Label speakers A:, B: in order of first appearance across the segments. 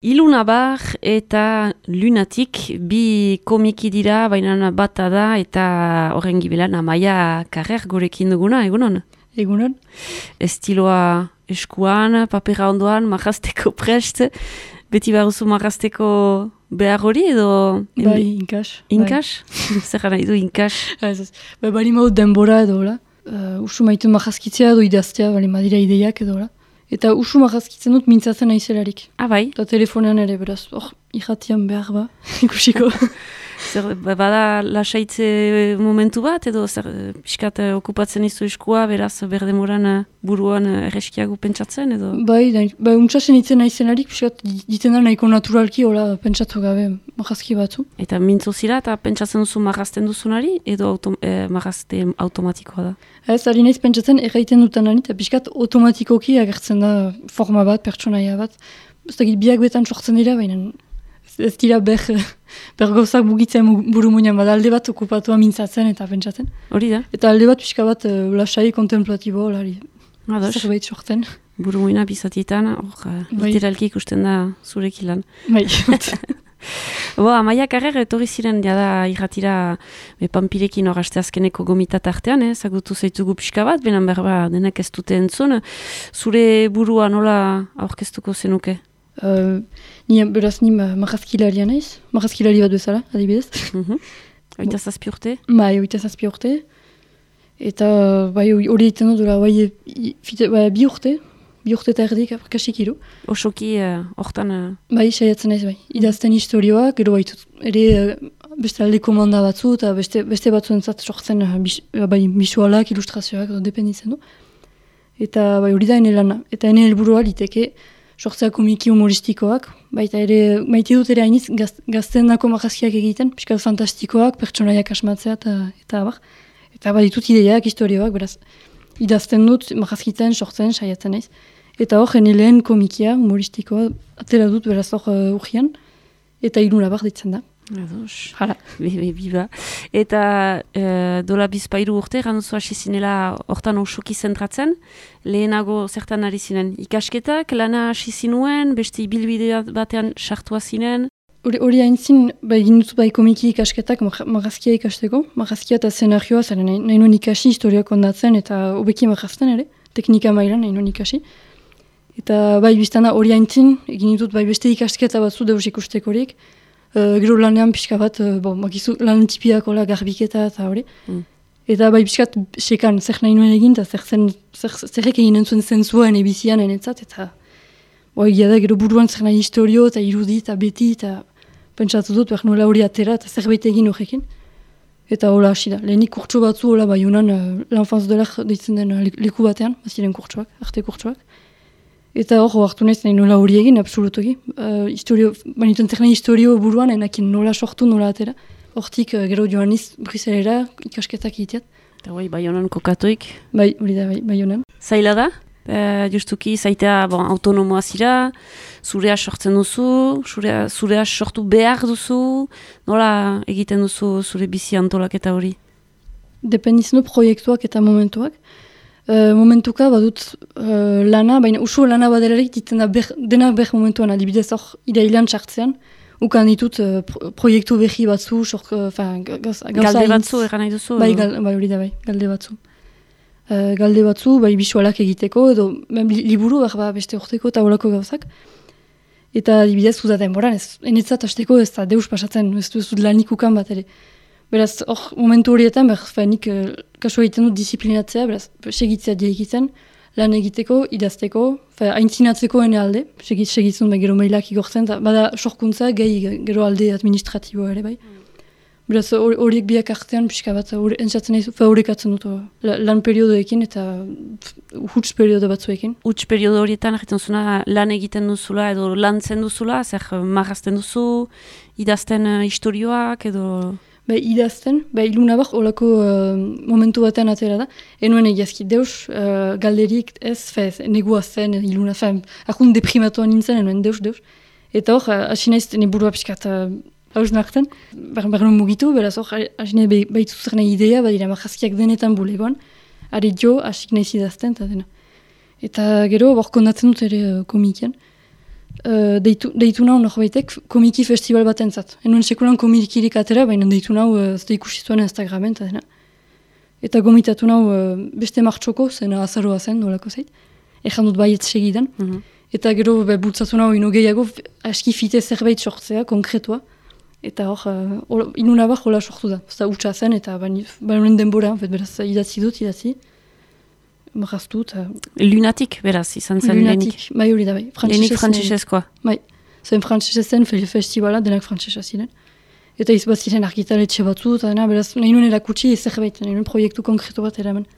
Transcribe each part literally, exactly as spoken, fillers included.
A: Ilunabar eta Lunatik bi komiki dira, baina bata da eta horren gibelan Amaia Carrer gurekin duguna, egunon?
B: Egunon.
A: Estiloa eskuan, papera ondoan, marrasteko prest, beti baruzu marrasteko behar hori edo...
B: Bai, inkas.
A: Inkas? Zer gara edo inkas?
B: Bai, bali maut denbora edo, la. Uh, usu maitu marrazkitzea edo idaztea, bali madira ideiak edo, la. Eta usu marrazkitzen dut mintzatzen naizelarik.
A: Ah, bai?
B: Eta telefonean ere, beraz, hor, irratian behar ba, ikusiko.
A: Zer, bada lasaitze momentu bat, edo zer, pixkat okupatzen izu eskua, beraz, berdemoran buruan erreskiago pentsatzen, edo?
B: Bai, da, bai, untsasen itzen naizelarik, pixkat diten da nahiko naturalki, hola, pentsatu gabe marrazki batzu.
A: Eta mintzo zira, eta pentsatzen duzu marrazten duzunari, edo auto, eh, marrazte automatikoa da?
B: Ez, ari naiz pentsatzen erraiten dutanari, eta pixkat automatikoki agertzen da forma bat, pertsonaia bat. Ez dakit biak betan sortzen dira, baina ez dira ber, ber gauzak bugitzen buru muinan, bada alde bat okupatua mintzatzen eta pentsatzen.
A: Hori da?
B: Eta alde bat pixka bat uh, lasai kontemplatibo, lari, zerbait sortzen.
A: Buru muina bizatietan, hor, literalki ikusten da zurek ilan.
B: Bai,
A: Bo, Amaia Carrer etorri ziren jada irratira be, Panpirekin hor aste azkeneko gomitat artean, eh? Zagutu zaitugu pixka bat, benan berba denak ez dute entzun. Zure burua nola aurkeztuko zenuke?
B: Uh, ni, beraz, ni marrazkilaria naiz, marrazkilari bat bezala, adibidez.
A: Mhm. Oita zazpi urte?
B: Bai, oita zazpi urte. Eta bai, hori egiten dut, bai, bai, bi urte. Bi urte eta erdik, kasik hiru.
A: Osoki, hortan... Uh, uh...
B: Bai, saiatzen ez, bai. Idazten historioak, gero baitut, ere uh, beste alde komanda batzu, eta beste, beste batzuentzat sortzen uh, bis, uh, bai, bisualak, ilustrazioak, dependitzen du. Eta bai, hori da ene lana. Eta ene helburua liteke sortzea komiki humoristikoak. Baita ere, maite dut ere hainiz, gaz, gazten dako marrazkiak egiten, pixka fantastikoak, pertsonaiak asmatzea, eta, eta abar. Eta bai, ditut ideiak, historioak, beraz. Idazten dut, marrazkitzen, sortzen, saiatzen naiz. Eta hor, jene lehen komikia, humoristikoa, atera dut beraz hor uh, urgian. Eta Ilunabar ditzen da.
A: Ados.
B: Hala.
A: Bebe, biba. Eta uh, dola bizpairu urte, ganduzu hasi zinela hortan osoki zentratzen. Lehenago zertan ari zinen ikasketak, lana hasi zinuen, beste ibilbide batean sartua zinen.
B: Hori hain zin, ba, egin dut bai komiki ikasketak marrazkia ikasteko. Marrazkia eta szenarioa, zaren nahi, nahi nuen ikasi, historiak ondatzen eta hobeki marrazten ere, teknika mailan nahi nuen ikasi. Eta bai biztana hori hain zin, egin dut bai beste ikasketa batzu deus ikustekorik. Uh, gero lanean pixka bat, uh, bon, bakizu lan tipiak hola garbiketa eta hori. Mm. Eta bai pixkat sekan zer nahi nuen egin, eta zer zen, zer, zerrek egin entzuen zentzua ene bizian enetzat, eta boi, egia da gero buruan zer nahi historio eta irudi eta beti, eta pentsatu dut, behar nola hori atera, eta zerbait egin horrekin. Eta hola hasi da. Lehenik kurtso batzu, hola bai honan, uh, l'enfance de l'art deitzen den uh, leku batean, baziren kurtsoak, arte kurtsoak. Eta hor, hartu nahiz nahi nola hori egin, absolutoki. Uh, historio, banituen zer nahi historio buruan, enakin nola sortu, nola atera. Hortik, uh, gero joan niz, Briselera, ikasketak egiteat.
A: Eta bai, bai honan kokatuik.
B: Bai, hori da, bai, bai honan.
A: Zaila da? Uh, justuki, zaitea bon, autonomoa zira, zurea sortzen duzu, zurea, zurea sortu behar duzu, nola egiten duzu zure bizi antolaketa hori?
B: Dependitzen du proiektuak eta momentuak. Uh, momentuka badut uh, lana, baina usu lana badelarik ditzen da ber, denak ber momentuan, adibidez hor irailan txartzean, ukan ditut uh, pro, proiektu behi batzu, sork, uh, gauza
A: galde batzu, eran nahi duzu?
B: Bai, gal, bai, hori da bai, galde batzu. Uh, galde batzu, bai, bisualak egiteko, edo li, liburu behar ba, beste urteko eta horako gauzak. Eta adibidez uzaten boran, ez enetzat hasteko ez da deus pasatzen, ez du lanik ukan bat ere. Beraz, hor, momentu horietan, behar nik uh, kasu egiten dut disiplinatzea, beraz, segitzea diegiten, lan egiteko, idazteko, aintzinatzeko ene alde, segit, segitzen gero mailak igortzen, eta bada sorkuntza, gehi gero alde administratiboa ere bai. Beraz, horiek biak artean, pixka bat, entzatzen nahi, horrekatzen dut lan periodoekin eta huts periodo batzuekin.
A: Huts periodo horietan, egiten zuna, lan egiten duzula edo lantzen duzula, zer marrazten duzu, idazten uh, historioak edo...
B: Ba, idazten, ba, Ilunabar holako uh, momentu batean atera da. Enuen egiazki deus, uh, galderik ez, fez, negua zen, Iluna, fe, akun deprimatuan nintzen, enuen deus, deus. Eta hor, hasi naiz, ne burua pixkat uh, haus nartzen, behar nuen mugitu, beraz hor, hasi nahi behitu zer nahi idea, badira marrazkiak denetan bulegoan, ari jo, hasik nahiz idazten, eta dena. Eta gero, hor kondatzen dut ere uh, komikian. uh, deitu, deitu nau norbaitek komiki festival bat entzat. Enuen sekulan komikirik atera, baina deitu nau uh, zte ikusi zuen Instagramen eta dena. Eta gomitatu nau uh, beste martxoko, zena azaroa zen, nolako zait. Ejan dut baiet segidan. Mm-hmm. Eta gero be, bultzatu nau ino gehiago aski fite zerbait sortzea, konkretua. Eta hor, uh, inuna bar hola sortu da. Zta utxa zen eta bainoen denbora, beraz idatzi dut, idatzi. Marraztu eta...
A: Lunatik, beraz, izan zen
B: Lunatik, lehenik. Bai hori da, bai.
A: Lehenik frantzesezkoa.
B: Bai, zen frantzesesen festivala, denak frantzesa ziren. Eta izbat ziren argitaletxe batzu, eta dena, beraz, nahi nuen erakutsi zerbait, nahi nuen proiektu konkretu bat eraman.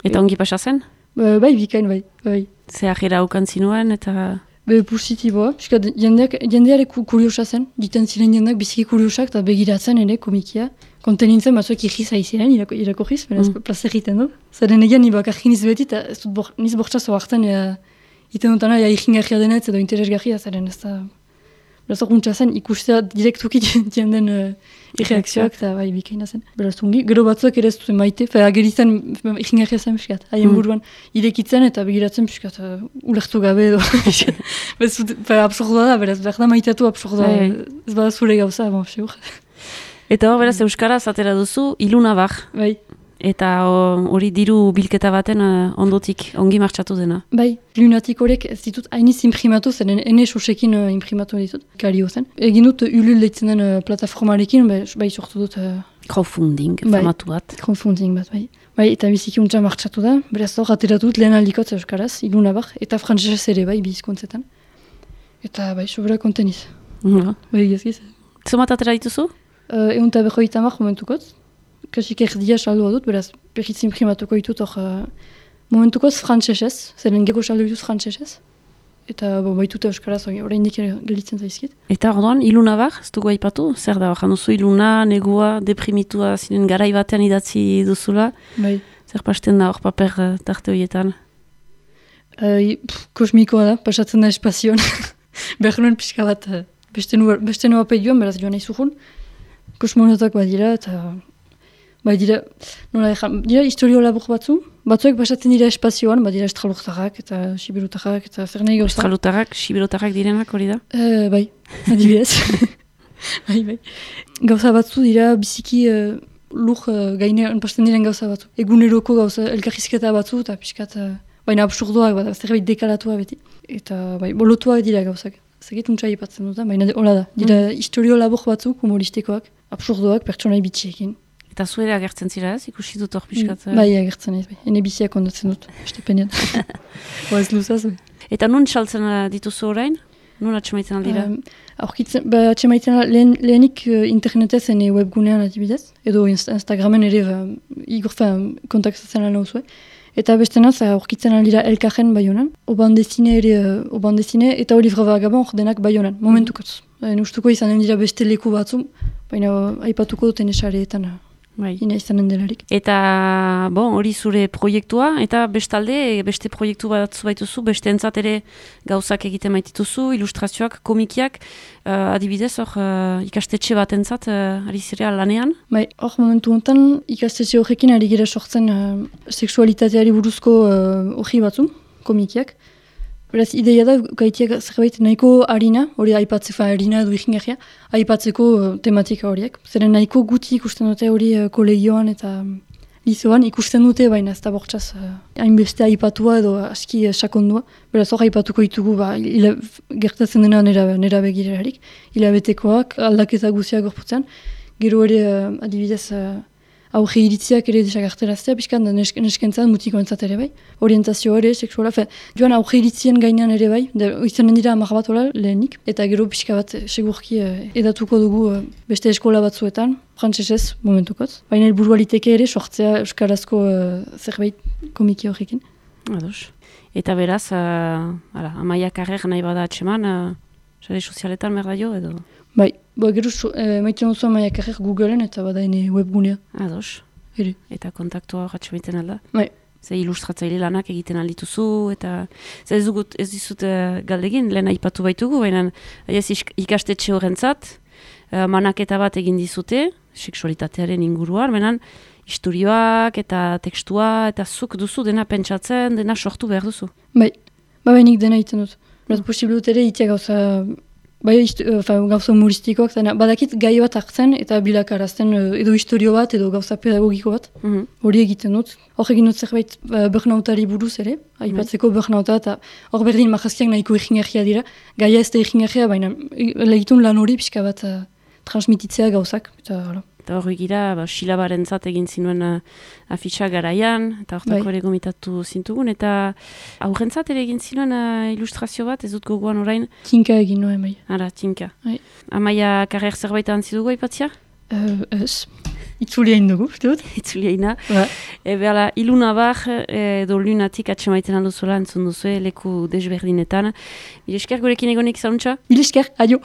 A: Eta ongi pasa zen?
B: Ba, bai, bikain, bai. bai.
A: Zer jera aukan zinuen, eta...
B: Be, positiboa. Piska, jendeak, jendeare kuriosa zen, diten ziren jendeak biziki kuriosak, eta begiratzen ere, komikia. Konten nintzen, batzuek irriza iziren, irako, irakorriz, beraz, mm. plaza egiten du. Zaren egian, nibak arginiz beti, eta ez dut bor, niz bortxazo hartzen, iten dutana, ja, irringarria denetz, edo interesgarria, zaren ez da... Beraz, orkuntza zen, ikustea direktuki jenden uh, irreakzioak, eta bai, bikaina zen. Beraz, ungi, gero batzuek ere ez duten maite, fe, ageritzen, irringarria zen, piskat, haien mm. buruan, irekitzen, eta begiratzen, piskat, uh, ulertu gabe, edo, bez, absurdoa da, beraz, behar da maiteatu absurdoa, ez bada zure gauza, bon, seur.
A: Eta hor, beraz, Euskaraz atera duzu, Iluna bar.
B: Bai.
A: Eta hori diru bilketa baten uh, ondotik, ongi martxatu dena.
B: Bai, Lunatik horiek ez ditut hainiz imprimatu, zen ene sosekin uh, imprimatu ditut, kario zen. Egin dut Ulul deitzen den uh, plataformarekin, bai, bai sortu dut... Uh,
A: crowdfunding,
B: bai,
A: formatu bat.
B: Crowdfunding bat, bai. Bai, eta biziki untsa martxatu da, beraz hor ateratu dut lehen aldikotz Euskaraz, Iluna bar, eta frantzesez ere bai, bizkontzetan. Eta bai, sobera konteniz.
A: Mm-hmm.
B: Bai, gizkiz.
A: Zumat atera dituzu?
B: Uh, Egun eta behoita mar momentukotz. Kasik erdia saldua dut, beraz, berriz imprimatuko ditut hor uh, momentukoz frantzesez, zeren gego saldu dituz frantzesez. Eta bo, baitute Euskaraz, orain dik gelitzen zaizkit.
A: Eta orduan, Iluna bar, ez dugu aipatu? Zer da, jan duzu Iluna, negua, deprimitua, zinen garai batean idatzi duzula.
B: Bai.
A: Zer pasten da hor paper uh, tarte horietan?
B: Uh, kosmikoa da, pasatzen da espazioan. Behar nuen pixka bat, uh, beste nua pedioan, beraz joan nahi zuhun. Kosmonautak badira, eta... Bai, dira, nola ezan, dira historio labur batzu, batzuek basatzen dira espazioan, badira estralurtarrak eta siberutarrak eta zer nahi gauza.
A: Estralurtarrak, siberutarrak direnak hori da?
B: Uh, bai, adibidez. bai, bai. Gauza batzu dira biziki uh, lur uh, gainean pasten diren gauza batzu. Eguneroko gauza elkarrizketa batzu eta pixkat, uh, baina absurdoak, bat, zerbait dekalatua beti. Eta bai, bolotuak dira gauzak. Zegit untsa ipatzen dut, baina hola da. Dira mm. historio labur batzu, humoristikoak, absurdoak, pertsonai bitxiekin.
A: Eta zuere agertzen zira ez, ikusi dut hor pixkat?
B: Mm, bai, agertzen ez, bai. Hene biziak ondatzen dut, estepenean. Boaz luzaz, bai.
A: Eta nun txaltzen dituzu orain? Nun atxemaiten aldira? Um,
B: Aurkitzen, ba, atxemaiten lehen, lehenik uh, internetez ene webgunean adibidez, edo Instagramen ere ba, igorfen kontaktatzen lan hau zuen. Eta bestenaz, aurkitzen aldira elkarren baionan, oban dezine ere, uh, oban dezine, eta olivra vagabon ordenak baionan, momentukotz. Mm. Ustuko izan dira beste leku batzu, baina aipatuko duten esareetan. Bai. Ina izanen delarik.
A: Eta, bon, hori zure proiektua, eta bestalde, beste proiektu bat zubaituzu, beste entzat ere gauzak egiten maitituzu, ilustrazioak, komikiak, uh, adibidez, hor, uh, ikastetxe bat entzat, uh, ari zirea lanean?
B: Bai, hor momentu honetan, ikastetxe horrekin ari gira sortzen uh, sexualitateari buruzko hori uh, batzu, komikiak. Beraz, ideia da, gaitiak zerbait nahiko harina, hori aipatzeko, harina edo ikingarria, aipatzeko uh, tematika horiek. Zeren nahiko guti ikusten dute hori uh, kolegioan eta um, lizoan ikusten dute, baina ez da bortxaz uh, hainbeste aipatua edo aski uh, sakondua. Beraz, hor aipatuko ditugu, ba, ila, gertatzen dena nera, nera begirerarik, hilabetekoak, aldaketa guziak gorputzean. Gero ere, uh, adibidez, uh, aurre iritziak ere desagarteraztea, pixkan nesk neskentzat, mutiko entzat ere bai. Orientazio ere, seksuala, fe, joan aurre iritzien gainean ere bai, izanen dira amar bat hola lehenik, eta gero pixka bat segurki eh, edatuko dugu eh, beste eskola batzuetan, frantsesez momentukotz. Baina helburua liteke ere sortzea euskarazko eh, zerbait komiki horrekin.
A: Ados. Eta beraz, uh, ala, Amaia Carrer nahi bada atxeman, uh, sare sozialetan merda jo edo?
B: Bai, bo, gero e, maitzen duzu Amaia Carrer Googleen eta bada ene webgunea.
A: Ados.
B: Ere.
A: Eta kontaktua horretxe baiten alda?
B: Bai.
A: Ze ilustratzaile lanak egiten aldituzu, eta ze ez, dugut, ez dizut uh, galdegin, lehen aipatu baitugu, baina ez ikastetxe horrentzat, uh, manaketa bat egin dizute, seksualitatearen inguruan, baina istorioak eta tekstua, eta zuk duzu dena pentsatzen, dena sortu behar duzu.
B: Bai, ba bainik dena egiten dut. Beraz, posible dut ere, itea gauza, bai, uh, gauza humoristikoak, zena, badakit gai bat hartzen eta bilakarazten uh, edo historio bat edo gauza pedagogiko bat, hori mm-hmm. egiten dut. Hor egin dut zerbait uh, burnoutari buruz ere, aipatzeko mm-hmm. burnouta eta hor berdin majazkiak nahiko egingarria dira, gaia ez da egingarria, baina legitun lan hori pixka bat uh, transmititzea gauzak, eta hala.
A: Eta hori gira, ba, silabaren zat egin zinuen uh, afitxa garaian, eta hortako ere gomitatu zintugun, eta aurrentzat ere egin zinuen uh, ilustrazio bat, ez dut gogoan orain?
B: Tinka egin nuen, bai.
A: Ara, tinka.
B: Bai.
A: Amaia karrer zerbait antzi dugu aipatzia?
B: Uh, ez. Itzulia indugu, uste dut?
A: Itzulia ina.
B: Ba.
A: Ebe ala, iluna bar, edo lunatik atxemaiten alduzuela entzun duzu, leku desberdinetan. Mil esker gurekin egonek zauntza?
B: Mil esker, adio!